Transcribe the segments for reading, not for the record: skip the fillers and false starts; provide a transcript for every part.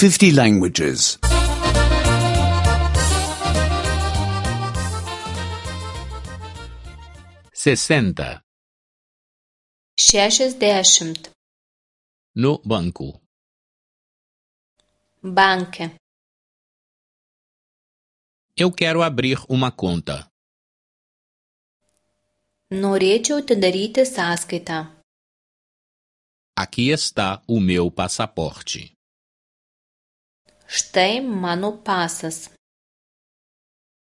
50 languages. 60. 60. No banco. Banke. Eu quero abrir uma conta. Norėčiau atidaryti sąskaitą. Aqui está o meu passaporte. Štai mano pasas.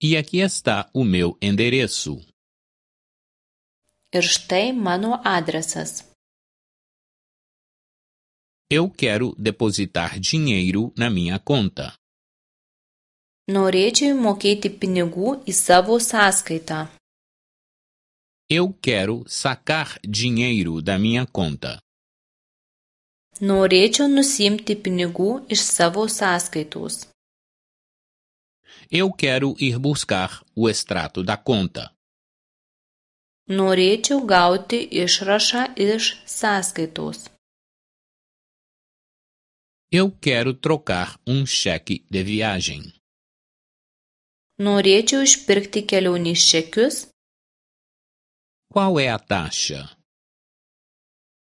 E aqui está o meu endereço. Ir štai mano adresas. Eu quero depositar dinheiro na minha conta. Norėčiau įmokėti pinigų į savo sąskaitą. Eu quero sacar dinheiro da minha conta. Norėčiau nusiimti pinigų iš savo sąskaitos. Eu quero ir buscar o extrato da conta. Norėčiau gauti išrašą iš sąskaitos. Eu quero trocar um cheque de viagem. Norėčiau išpirkti kelionės čekius. Qual é a taxa?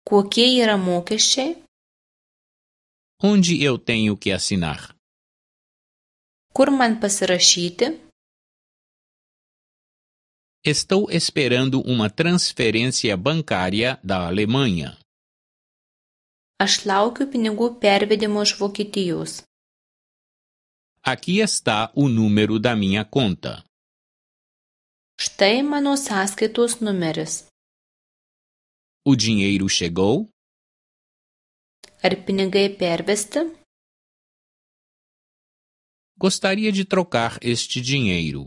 Kokie yra mokesčiai? Onde eu tenho que assinar? Kur man pasirašyti? Estou esperando uma transferência bancária da Alemanha. Aš laukiu pinigų pervedimo iš Vokietijos. Aqui está o número da minha conta. Štai mano sąskaitos numeris. O dinheiro chegou? Ar pinigai pervesti? Gostaria de trocar este dinheiro.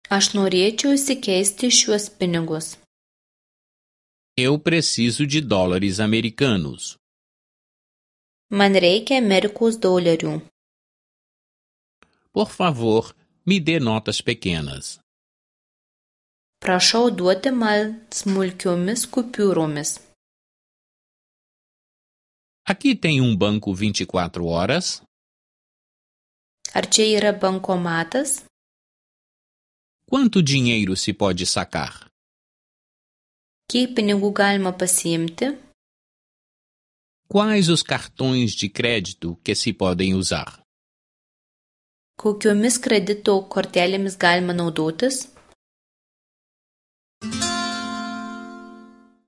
Aš norėčiau įsikeisti šiuos pinigus. Eu preciso de dólares americanos. Man reikia Amerikos dolerių. Por favor, me dê notas pequenas. Prašau duoti man smulkiomis kupiūromis. Aqui tem um banco 24 horas? Ar čia yra bankomatas? Quanto dinheiro se pode sacar? Kiek pinigų galima pasiimti? Quais os cartões de crédito que se podem usar? Kokiomis kredito kortelėmis galima naudotis?